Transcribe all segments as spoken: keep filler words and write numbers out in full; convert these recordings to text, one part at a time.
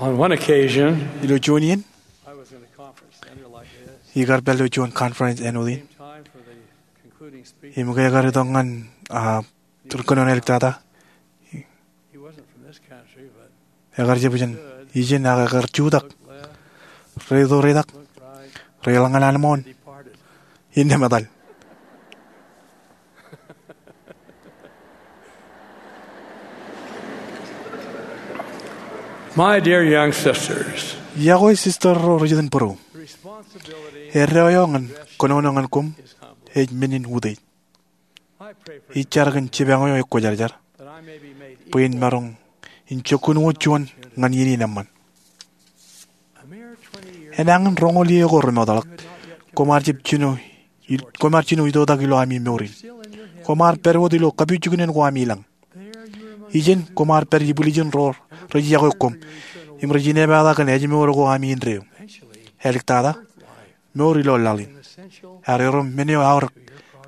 On one occasion, ilo juon iien, I was in a conference center like this. Ikar pād ilo juon conference āinwōt in. Time for the concluding speech. Im ke ekar itok ñan, ah, ri kōnono āliktata. He wasn't from this country, but ekar jab ijin, ijin ak ekar jutak. Looked left, reitok, reitak, looked right, reḷọk ñan anemwōn, departed. Innām etal. My dear young sisters, iọkwe sister ro rijitōnbōro, the responsibility, eddo eo ñan kōnono ñan koṃ, is humble, ej men in utiej. I pray for, ij jar kōn jipañ eo ekwōjarjar, that I may be made bwe in equal, maroñ in jokkun wōt juon ñan iien in eṃṃan. A mere twenty years, enañin roñoul iiō ko remootḷọk, you had not yet, koṃ ar jab jino, koṃ ar jino itoitak ilo ami mour in. Koṃ ar pād wōt ilo kapijuknen ko ami ilañ. Ijin koṃ ar pād ibwiljin ro rej iọkwe koṃ im rej inepata kōn ājmour ko ami indeeo. Āliktata, mour ilo laḷ in ear erom men eo aorōk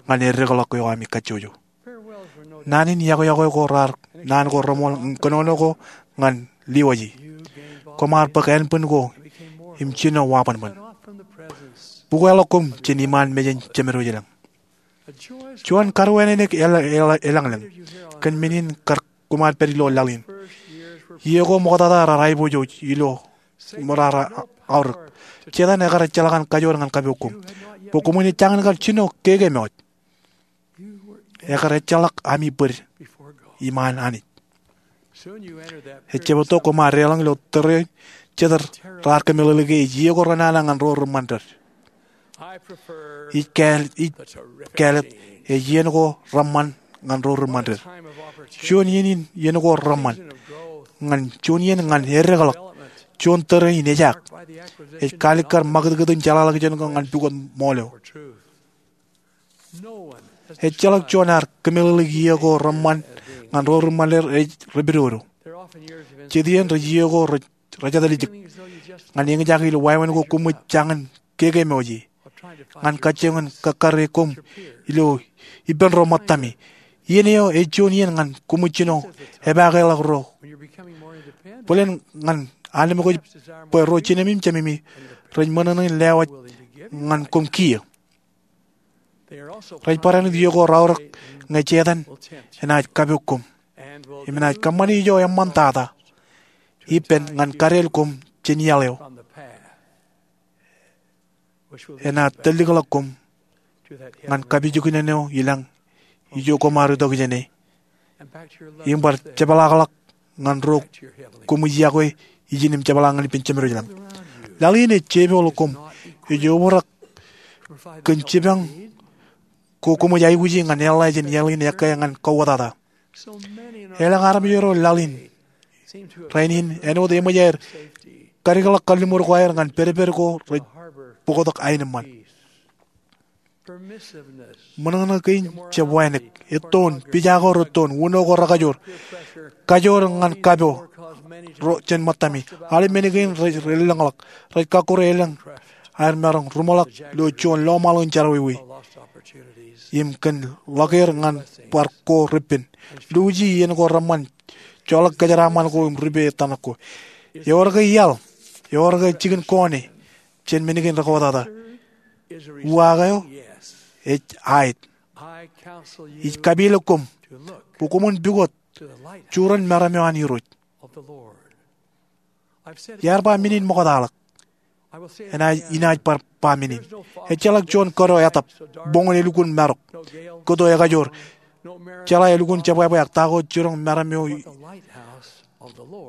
ñan eddekḷọk eo ami kajjojo. Naan in iọkwe iọkwe ko raar naan ko reṃool kōnono ko ñan liwaje. Koṃ ar bōk ānbwin ko im jino wabōnbōn. Bukweḷọk koṃ jān iṃaan mejān Jemed wōj ilañ. Juon karuwānānōk eḷ-, eḷ-, eḷañḷañ kōn men in kar koṃ ar pād ilo laḷ in. Iiō ko ṃoktata raar aiboojoj ilo ṃōrā raar aorōk. Setan ekar ejjeḷọk an kajoor ñan kapo koṃ bwe koṃwin ejjañin kar jino keke mọọj. Ekar ejjeḷọk ami bōd iṃaan Anij. Ejjab etto koṃ ar deḷọñ ilo tōre jet raar kōmeḷeḷeik e ej iiō ko renana ñan ro reṃṃan ded. Ij kāāl-, ij kāālōt ej iien ko reṃṃan ñan ro reṃṃan ded. Juon iien in iien ko reṃṃan ñan juon iien ñan eddekḷọk juon tōre in ejaak. Ej kaalikkar ṃakūtkūt in jeḷāḷọkjeṇ ko ñan pukot ṃool eo. Ejjeḷọk juon ear kōmeḷeḷeik iiō ko reṃṃan ñan ro reṃṃan ded rej repidodo. Jet iien rej iiō ko rej, rej jatalitik. Ñan eñjake ilo wāween ko koṃij jañin keke mọọj e. Ñan kajjioñ in kakkar e koṃ ilo ippān ro ṃōttami. Iien eo ej juon iien ñan koṃij jino epakeḷọk ro. Bōlen ñan anemkwōj bwe ro jinemi im jememi rej ṃōṇōṇō in lewōj ñan koṃ kiiō. Rej barāinwōt iiō ko raorōk ñe Setan enaaj kapo koṃ im enaaj kōṃṃani ijo eṃṃantata ippān ñan kadeel koṃ jān iaḷ eo enaaj tōllikḷọk koṃ ñan kapijuknen eo ilañ ijo koṃ ar itok jāne im bar jepḷaakḷọk ñan ro koṃij iọkwe ijin im jepḷaak ñan ippān Jemed wōj ilañ. Laḷ in ej jepooḷ koṃ, ej obrak kōn jipañ ko koṃij aikuji ñan eḷḷā jān iaḷ in ekkā ñan kauwōtata. Elōñ armej ro laḷ in rainin āinwōt eṃōj aer kadikḷọk kalliṃur ko aer ñan pedped ko rej bōktok aenōṃṃan. Ṃōṇōṇō kein jab wānōk, ettoon, pija ko rettoon, uno ko rekajoor, kajoor ñan kapo ro jān ṃōttami, aolep men kein rej, rej lōñḷọk, rej kakkure elōñ aer maroñ ruṃḷọk ilo juon lọmọọl in jerọwiwi im kōn ḷọk er ñan bar ko repen. Luuji iien ko reṃṃan, joḷọk kōjeraaṃṃan ko im rupe ettōṇak ko. Ewōr ke iaḷ, ewōr ke jikin kọọne jān men kein rekauwōtata. Uwaak eo ej aet. Ij kapeḷḷọk koṃ bwe koṃwin pukot jurōn meram eo an Irooj. Iar ba men in ṃoktaḷọk. Enaaj, inaaj bar ba men in. Ejjeḷọk juon kōto etap, boñōn elukkuun marok, kōto ekajoor, jeḷā elukkuun jebwābwe ak ta ko jurōn meram eo,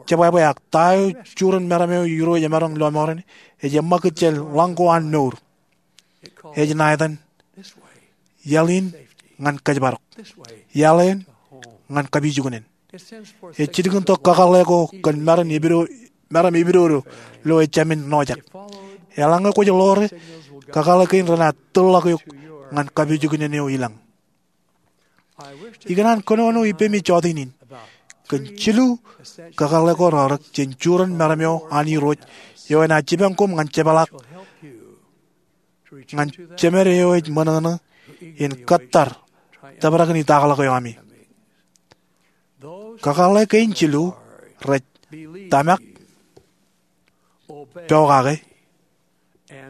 jebwābwe ak ta eo jurōn meram eo Irooj emaroñ lọmọọren, ej eṃṃakūt jān ḷañ ko an mour. Ej ṇa etan, iaḷ in ñan kōjparok, iaḷ eṇ ñan kapijuknen. Ej jilkintok kakōḷḷe ko kōn meram epido, meram epidodo ilo ejāmin ṇojak. Eḷaññe kwōj ḷoore, kakōḷḷe kein renaaj tōlḷọk eok ñan kapijuknen eo ilañ. Ikōṇaan kōnono ippemi jọteen in kōn jilu kakōḷḷe ko raorōk jān jurōn meram eo an Irooj eo enaaj jipañ koṃ ñan jepḷaak ñan Jemed eo ej ṃōṇōṇō in kōttar tōprak in itakḷọk eo ami. Kakōḷḷe kein jilu rej tōmak, pokake,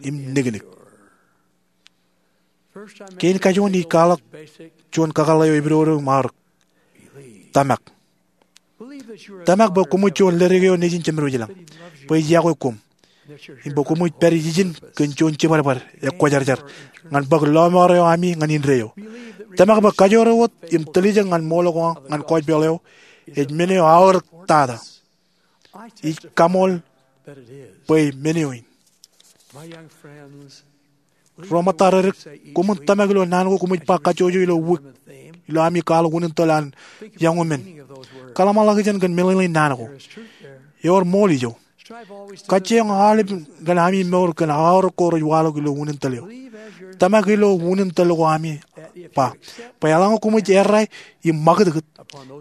im niknik. Kein kajuon ij kwaḷọk juon kakōḷḷe eo epidodo im aorōk: Tōmak. Tōmak bwe koṃij juon ledik eo nejin Jemedwōj ilañ, bwe ej yokwe koṃ, im bwe koṃij pād ijin kōn juon jibadbad ekwōjarjar ñan bōk lọmọọr eo ami ñan indeeo. Tōmak bwe kajoor eo wōt im tiljek ñan ṃool ko ñan gospel eo ej men eo aorōk tata. Ij kaṃool bwe men eo in. Ro ṃōttaririk, koṃwin tōmak ilo naan ko koṃij ba kajjojo ilo wiik ilo ami kwaḷọk unin tōl an young women. Kōḷmānḷọkjeṇ kōn meḷeḷein naan ko. Ewōr ṃool ijo. Kajjioñ aolep kōn ami mour kōn aorōk ko rej waḷọk ilo unin tōl eo. Tōmak ilo unin tōl ko ami ba bwe eḷaññe koṃij errā im ṃakūtkūt,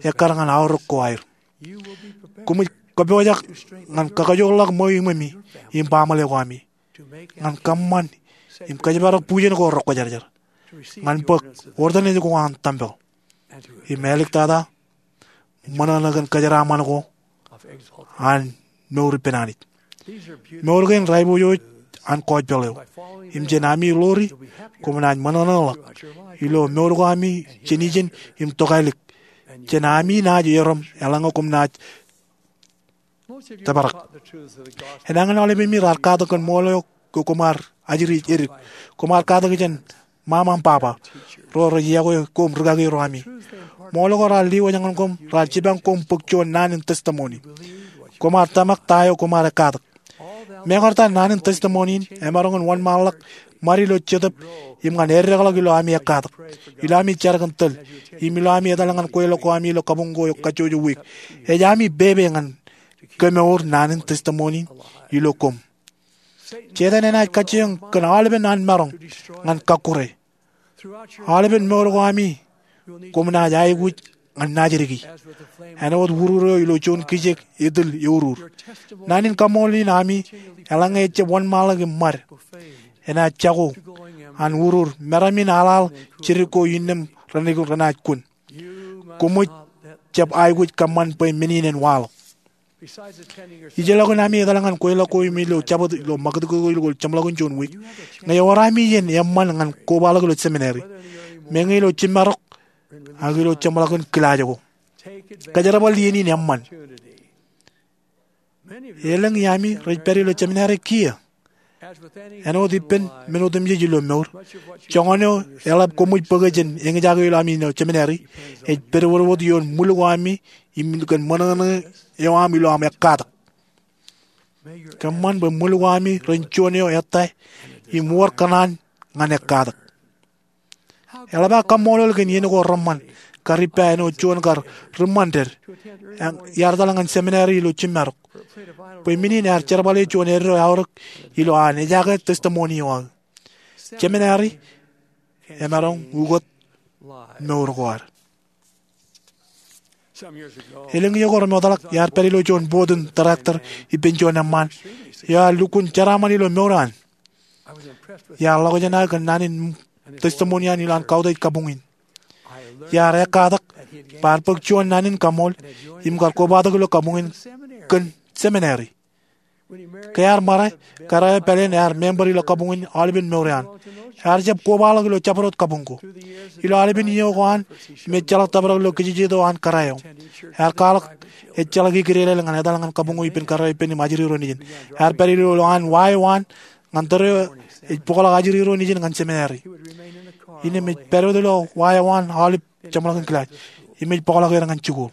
ekkar ñan aorōk ko aer. Koṃij kōpooj ñan kakajoorḷọk ṃweo iṃōmi im baaṃle ko ami, ñan kōṃṃan im kōjparok bujen ko rekwōjarjar, ñan bōk ortōnaaj ko an tempel, im āliktata ṃōṇōṇō kōn kōjeraaṃṃan ko an mour ippān Anij. Mour kein raipojoj an gospel eo. Im jān ami ḷoori, koṃ naaj ṃōṇōṇō ḷọk ilo mour ko ami jān ijin im tokālik jān ami naaj erom eḷaññe koṃ naaj tōprak. Enañin aolepāmi raar katak kōn ṃool eo ke koṃ ar ajri edik. Koṃ ar katak jān ṃaṃa im baba ro rej yokwe koṃ rūkaki ro ami. Ṃool ko raar lewōj ñan koṃ, raar jipañ koṃ bōk juon naan in testimony. Koṃ ar tōmak ta eo koṃ ar ekkatak. Mekarta naan in testimony in emaroñ in wōnṃaanḷọk ṃad ilo jetōb im ñan eddekḷọk ilo ami ekkatak, ilo ami jar kōn tōl, im ilo ami etal ñan kweilọk ko ami ilo kabuñ ko eo kajjojo wiik. Ej ami pepe ñan kemour naan in testimony in ilo koṃ. Setan enaaj kajjioñ kōn aolepen an maroñ ñan kakkure. Aolepen mour ko ami koṃ naaj aikuj ñan naajdik. Āinwōt urur eo ilo juon kijek etil eurur, naan in kaṃṃoolol in ami, eḷaññe ejjab wōnṃaanḷọk im ṃad, enaaj jako an urur meram in aḷaḷ jidik ko innām renaaj kun. Koṃij jab aikuj kōṃṃan bwe men in en waḷọk. Ijellọkin ami etal ñan kweilọk ko im ilo jabdewōt ilo ṃakūtkūt ko ilo jeṃḷọkin juon wiik, ñe ewōr ami iien eṃṃan ñan kobaḷọk ilo seminary, meñe ilo jiṃṃarok ak ilo jeṃḷọkin kilaaj ko, kōjerbal iien in eṃṃan. Elōñ iaan ami rej pād ilo seminary kiiō. Āinwōt ippān men otemjej ilo mour, joñan eo eḷap koṃij bōke jān eñjake ilo ami ilo seminary ej pedwōdwōd ioon ṃwil ko ami im kōn ṃōṇōṇō eo aṃ ilo aṃ ekkatak. Kōṃṃan bwe ṃwil ko ami ren juon eo ettā im wōr kōṇaan ñan ekkatak. Eḷap aō kaṃṃoolol kōn iien ko reṃṃan kar ippa āinwōt juon kar ri ṃanted iar etal ñan seminary ilo jiṃṃarok, bwe men in ear jerbale juon eddo eaorōk ilo an ejake testimony eo aō. Seminary emaroñ ukōt mour ko ad. Elōñ iiō ko remootḷọk iar pād ilo juon board in director ippān juon eṃṃaan eo ear lukkuun jeraaṃṃan ilo mour eo an. Iar ḷọk jān aō kōn naan in testimony eo an ilo an kautiej kabuñ in. Iar ekkatak bwe ear bōk juon naan in kaṃool im kar kobatok ilo kabuñ in kōn seminary. Ke ear ṃare, kōrā eo pāleen ear member ilo kabuñ in aolepen mour eo an. Ear jab kobaḷọk ilo jabdewōt kabuñ ko. Ilo aolepen iiō ko an im ejjeḷọk tōprak ilo kijejeto an kōrā eo, ear kwaḷọk ejjeḷọk ikidedāl ñan etal ñan kabuñ ko ippān kōrā eo ippān im ajri ro nejin. Ear pād ilo an wa eo an ñan tōre eo ej bōkḷọk ajri ro nejin ñan seminary. Innām ej pād wōt ilo wa eo an aolep jeṃḷọkin kilaaj im ej bōkḷọk er ñan jikuuḷ.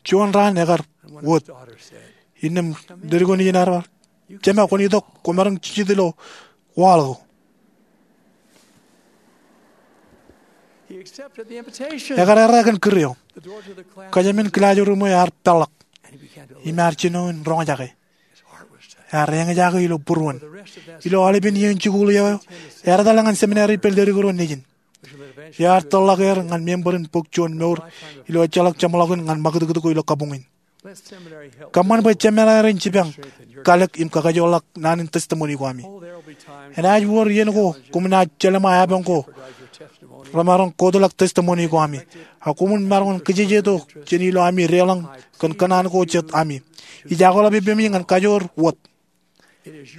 Juon raan ekar wōt, innām ledik eo nejin ear ba, "Jema, kwōn itok, kwōmaroñ jijet ilo waḷọk ko." Ekar errā kōn kūr eo. Kōjām in kilaajruum eo ear peḷḷọk im ear jino in roñjake. Ear eñjake ilo būruon. Ilo aolepen iien jikuuḷ eo, ear etal ñan seminary ippān ledik ro nejin eo ear tōrḷọk er ñan member in bōk juon mour ilo ejjeḷọk jeṃḷọkin ñan ṃakūtkūt ko ilo kabuñ in. Kōṃṃan bwe seminary en jipañ, kalōk im kakajoorḷọk naan in testimony ko ami. Enaaj wōr iien ko koṃ naaj jelṃae apañ ko remaroñ kotḷọk testimony ko ami. A koṃwin maroñ in kijejeto jān ilo ami deḷọñ kōn kōṇaan ko jet ami. Ij akḷap ippemi ñan kajoor wōt.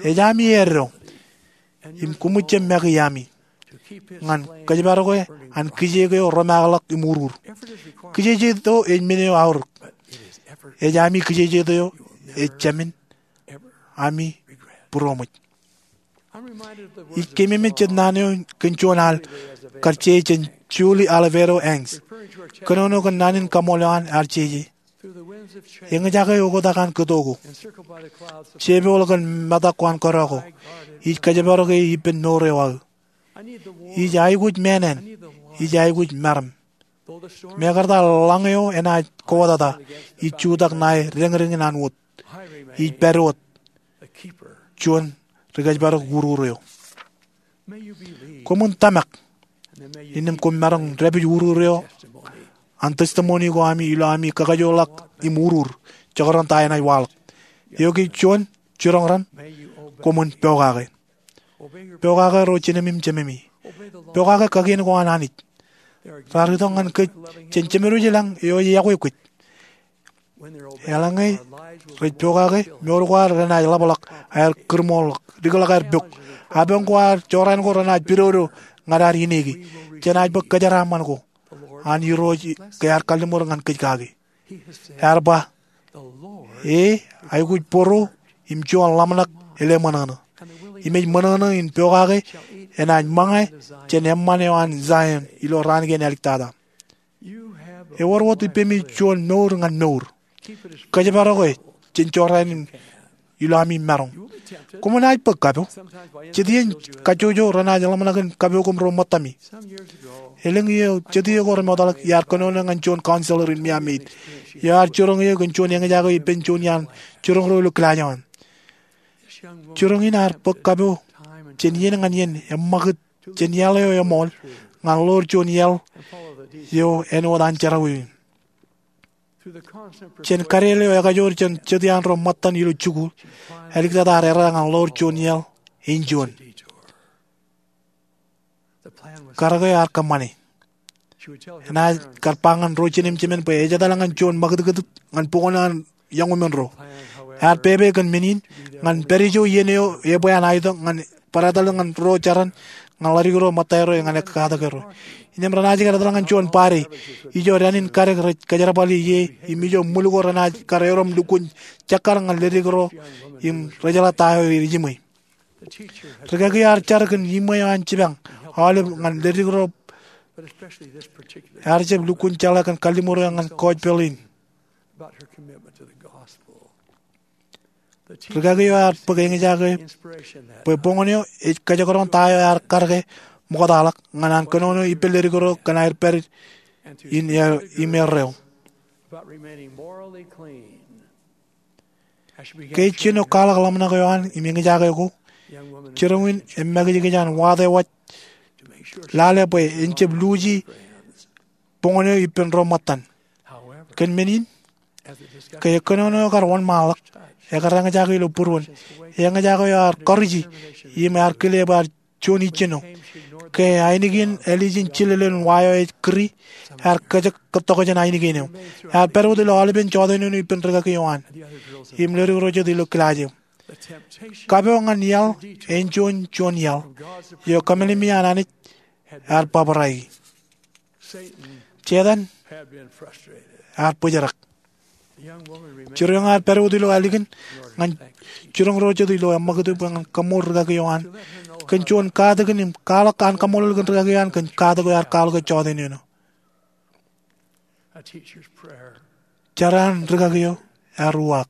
Ej ami eddo im koṃij jab make ami ñan kōjparoke an kijeek eo remakḷọk im urur. Kijejeto ej men eo aorōk. Ej ami kijejeto eo ej jāmin ami būroṃōj. Ij keememej jet naan eo kōn juon al kar jeje jān Julie Oliveto Hanks. Kōnono kōn naan in kaṃool eo an ear jeje. Eñjake oktak an kōto ko, jepooḷ kōn metak ko an kōdọ ko, ij kōjparoke ippān mour eo aō. Ij aikuj meenen, ij aikuj meram. Mekarta lañ eo enaaj kowōtata, ij jutak ṇae deñdeñin an wōt. Ij pād wōt juon ri kōjparok urur eo. Koṃwin tōmak innām koṃ maroñ dāpij urur eo an testimony ko ami ilo ami kakajoorḷọk im urur jekdọọn ta enaaj waḷọk. Eo ki juon, jiroñ raṇ, koṃwin pokake. Pokake ro jinōmi im jememi. Pokake kakien ko an Anij. Raar itok ñan kōj jān Jemedwōj ilañ eo ej yokwe kōj. Eḷaññe rej pokake, mour ko ad renaaj ḷapḷọk, aer kūrmoorḷọk, dikḷọk aer pok. Apañ ko ad jorrāān ko renaaj pidodo ñan ad ineki. Jenaaj bōk kōjeraaṃṃan ko an Irooj ke ear kalliṃur ñan kōj kaki. Ear ba, e aikuj bōro im juon ḷōmṇak eḷap ṃōṇōṇō. Im ej ṃōṇōṇō in pokake enaaj ṃōñā jān eṃṃan eo an Zion ilo raan kein āliktata. Ewōr wōt ippemi juon mour ñan mour. Kōjparoke jān jorrāān in ilo ami maroñ. Koṃ naaj bōk kapo. Jet iien kajjojo renaaj ḷōmṇak in kapo koṃ ro ṃōttami. Elōñ iiō jet iiō ko remootḷọk iar kōnono ñan juon counselor in Miami Dade eo ear jiroñ eō kōn juon eñjake ippān juon iaan jiroñ ro ilo kilaaj eo an. Jiroñ in ear bōk kapo jān iien ñan iien eṃṃakūt jān iaḷ eo eṃool ñan ḷoor juon iaḷ eo āinwōt an jerọwiwi. Jān kadeel eo ekajoor jān jet iaan ro ṃōttan ilo jikuuḷ, āliktata ear errā ñan ḷoor juon iaḷ āinjuon. Karōk eo ear kōṃṃane. Enaaj kar ba ñan ro jinōm jemān bwe ej etal ñan juon ṃakūtkūt ñan bok eo an iọñumen ro. Ear pepe kōn men in ñan pād ijo iien eo ebwe an aetok ñan barāinwōt ñan ro jaran ñan ḷadik ro ṃōttaerro ñan ekkakatak erro. Innām renaaj kar etal ñan juon party ijo dān in kadek rej kōjerbali ie im ijo ṃwil ko renaaj kar erom lukkuun jekkar ñan ledik ro im rejeḷā ta eo ej iṃwe. Rikaki eo ear jar kōn iṃwe eo an jipañ aolep ñan ledik ro ear jab lukkuun jeḷā kōn kalliṃur eo ñan gospel in. Rikaki eo ear bōk eñjake bwe boñōn eo ej kajekdọọn ta eo ear karōke ṃoktaḷọk ñan an kōnono ippān ledik ro kōn aer pād in im erreo. Ke ej jino kwaḷọk ḷōmṇak eo an im eñjake ko, jiroñ in ej makijkij an watewaj lale bwe en jab luuji boñōn eo ippān ro ṃōttan. Kōn men in, ke kōnono eo kar wōnṃaanḷọk, ekar eñjake ilo būruon. Eñjake eo ear kọriji im ear kile bwe ear juon ijjino. Ke ainikien ālijin jilel in wa eo ej kūri, ear kōjek kōttok jān ainikien eo. Ear pād wōt ilo aolepen jọteen eo ippān rikaki eo an im ledik ro jet ilo kilaaj eo. Kapo ñan iaḷ āinjuon juon iaḷ eo kōmālemi an Anij ear bōbrae. Setan ear bōjrak. Jiroñ eo ear pād wōt ilo ālikin ñan jiroñ ro jet ilo eṃṃakūt bwe ñan kaṃṃool rikaki eo an kōn juon katakin im kwaḷọk an kaṃṃoolol kōn rikaki eo an kōn katak eo ear kwaḷọk e jọteen eo. Jar an rikaki eo ear uwaak.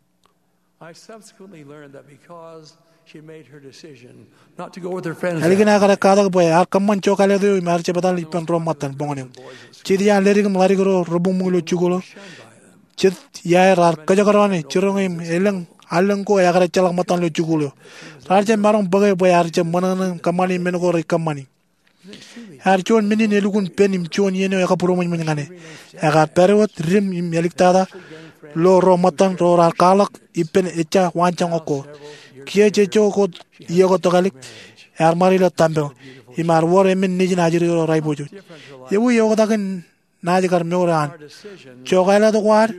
Ālikin aō kar ekkatak bwe ear kōṃṃan jokālet eo im ear jab etal ippān ro ṃōttan boñōn eo. Jet iaan ledik im ḷadik ro rebuñbuñ ilo jikuuḷ eo, jet iaer raar kōjekdọọn e jiroñ eo im elōñ allōñ ko ekar ejjeḷọk ṃōttan ilo jikuuḷ eo. Raar jab maroñ bōke bwe ear jab ṃōṇōṇō im kōṃṃani men ko rej kōṃṃani. Ear juon men in elukkuun pen im juon iien eo ekabūroṃōjṃōj ñan e. Ekar pād wōt dim im āliktata lo ro ṃōttan ro raar kwaḷọk ippān ejja waanjoñak ko. Kiiō jejjo ko iiō ko tokālik, ear ṃaad ilo tempel im ear wōr emān nejin ajri ro raiboojoj. Ewi eoktak in naaj kar mour eo an? Jokāālōt ko ad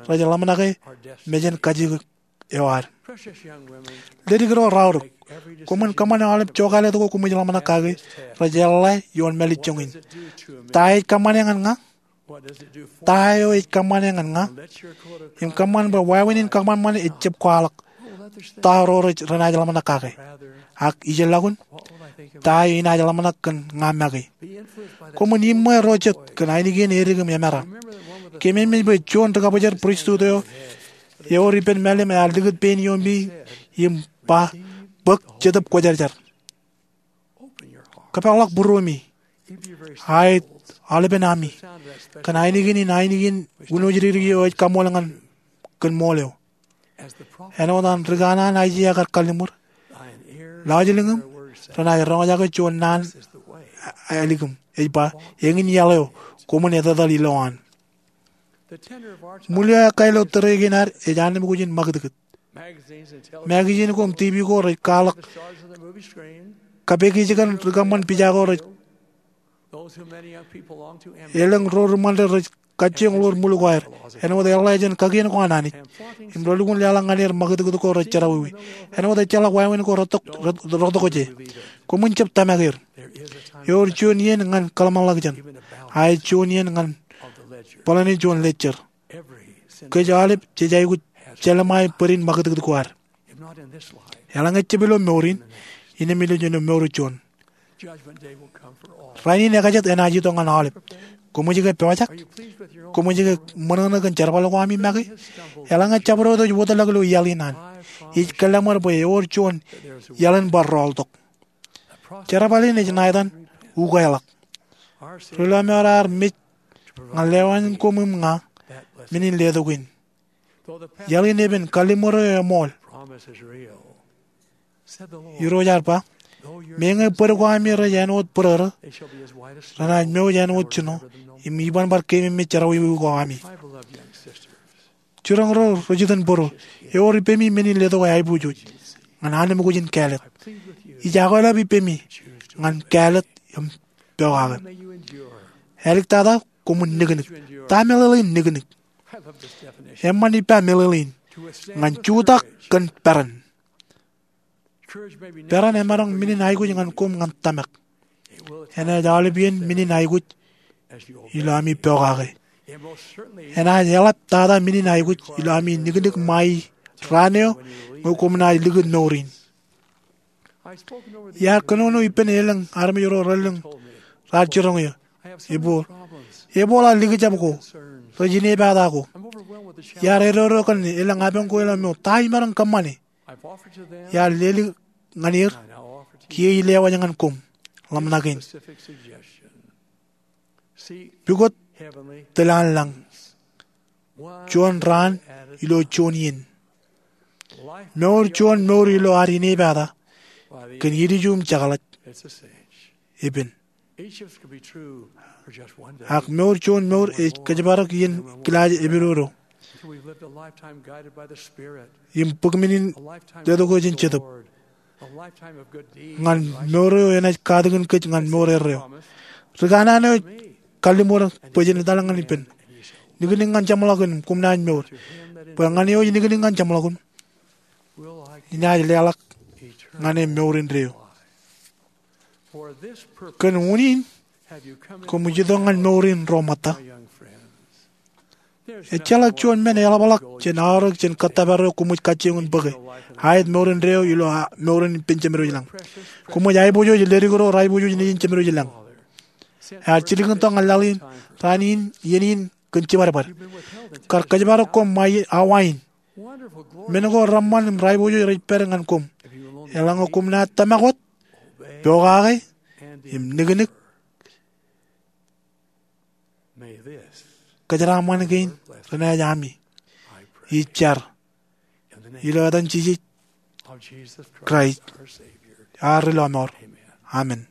rej ḷōmṇake mejān kajjitōk eo ad. Ledik ro raorōk, koṃwin kōṃṃane aolep jokāālōt ko koṃij ḷōmṇak kake rej eḷḷā ioon mālejjoñin. Ta ej kōṃṃane ñan ña? Ta eo ej kōṃṃane ñan ña? Im kōṃṃan bwe wāween in kōṃanṃan ej jab kwaḷọk ta ro renaaj ḷōmṇak kake. Ak ijellọkun, ta eo inaaj ḷōmṇak kōn ña make? Koṃwin iṃṃe ro jet kōn ainikien edik im emera. Keememej bwe juon rikabōjor pristut eo ewōr ippān mālim ear likūt pein iomi im ba, bōk Jetōb Kwōjarjar. Kōpeḷḷọk būruemi. Aet aolepen ami kōn ainikien in ainikien wūnooj rikiriki eo ej kaṃool ñan kōn ṃool eo. Āinwōt an rikanaan Aiseia kar kalliṃur, lọjilñim renaaj roñjake juon naan ālikim ej ba, eñin iaḷ eo, koṃwin etetal ilowaan. Ṃwil eo ekkā ilo tōre kein ad ej annemkwōj in ṃakūtkūt. Magazine ko im TV ko rej kwaḷọk kapekij kōn ri kōṃṃan pija ko rej elōñ ro ri ṃander rej kajjioñ ḷoor ṃwil ko aer āinwōt eḷḷā jān kakien ko an Anij. Im relukkuun leḷọk ñan er ṃakūtkūt ko rej jerọwiwi āinwōt ejjeḷọk wāween ko rōktokje. Koṃwin jab tōmak er. Ewōr juon iien ñan kōḷmānḷọkjeṇ. A ej juon iien ñan bōlōni juon ledger. Kōj aolep jej aikuj jelṃae bōd in ṃakūtkūt ko ad. Eḷaññe jab ilo mour in, innem ilo jino mour juon. Rainin ekajet enaaj itok ñan aolep. Koṃij ke pojak? Koṃij ke ṃōṇōṇō kōn jerbal ko ami make? Eḷaññe jabdewōt ej wōtlọk ilo iaḷ in an, ij kōḷmānḷọkjeṇ bwe ewōr juon iaḷ in bar rọọltok. Jerbal in ej ṇa etan ukeḷọk. Ri-lọmọọr ear mej ñan lewōj koṃ im ña men in letok in. Iaḷ in epen, kalliṃur eo eṃool. Irooj ear ba, meñe bōd ko ami rej āinwōt bōrōrō, renaaj mouj āinwōt jino, im iban bar keememej jerọwiwi ko ami. Jiroñ ro ri-jitōnbōro, ewōr ippemi men in letok aiboojoj ñan annemkwōj in kāālōt. Ij akweḷap ippemi ñan kāālōt im pokake. Āliktata, koṃwin niknik. Ta meḷeḷein niknik? Eṃṃan ippa meḷeḷein ñan jutak kōn peran. Peran emaroñ men in aikuj ñan koṃ ñan tōmak. Enaaj aolep iien men in aikuj ilo ami pokake. Enaaj eḷap tata men in aikuj ilo ami niknik ṃae raan eo ñe koṃ naaj likūt mour in. Iar kōnono ippān elōñ armej ro relōñ raar jiroñ eō. Ebō, ebō ḷọk likjab ko rej inepata ko. Iar edodo kōn elōñ apañ ko ilo mour. Ta imaroñ kōṃṃane? Iar lelōñ ñan er, kiiō ij lewōj ñan koṃ ḷōmṇak in. Pukot tilañ lañ, juon raan ilo juon iien. Mour juon mour ilo ad inepata kōn ilju im jekḷaj epen. Ak mour juon mour ej kōjparok iien kilaaj epidodo im bōk men in letok eo jān Jetōb ñan mour eo enaaj katakin kōj ñan mour erreo. Ri kanaan eo ej kalliṃur bwe jen etal ñan ippān, niknik ñan jeṃḷọkin im koṃ naaj mour. Bwe ñan eo ej niknik ñan jeṃḷọkin, inaaj leḷọk ñan e mour indeeo. Kōn unin koṃij itok ñan mour in ro ṃōtta? Ejjeḷọk juon men eḷapḷọk jān aorōk jān kōttōpar eo koṃij kajjioñ in bōke. Aet mour indeeo ilo mour in ippān Jemedwōj lañ. Koṃij aiboojoj ledik ro raiboojoj nejin Jemedwōj lañ. Ear jilkintok ñan laḷ in, raan in, iien in kōn jibadbad. Kar kōjparok koṃ ṃae awa in. Men ko reṃṃan im raiboojoj rej pād ñan koṃ. Eḷaññe koṃ naaj tōmak wōt, pokake, im niknik, kōjeraṃṃan kein renaaj ami. Ij jar ilo etan Jisōs Kraist, ad Ri-lọmọọr. Amen.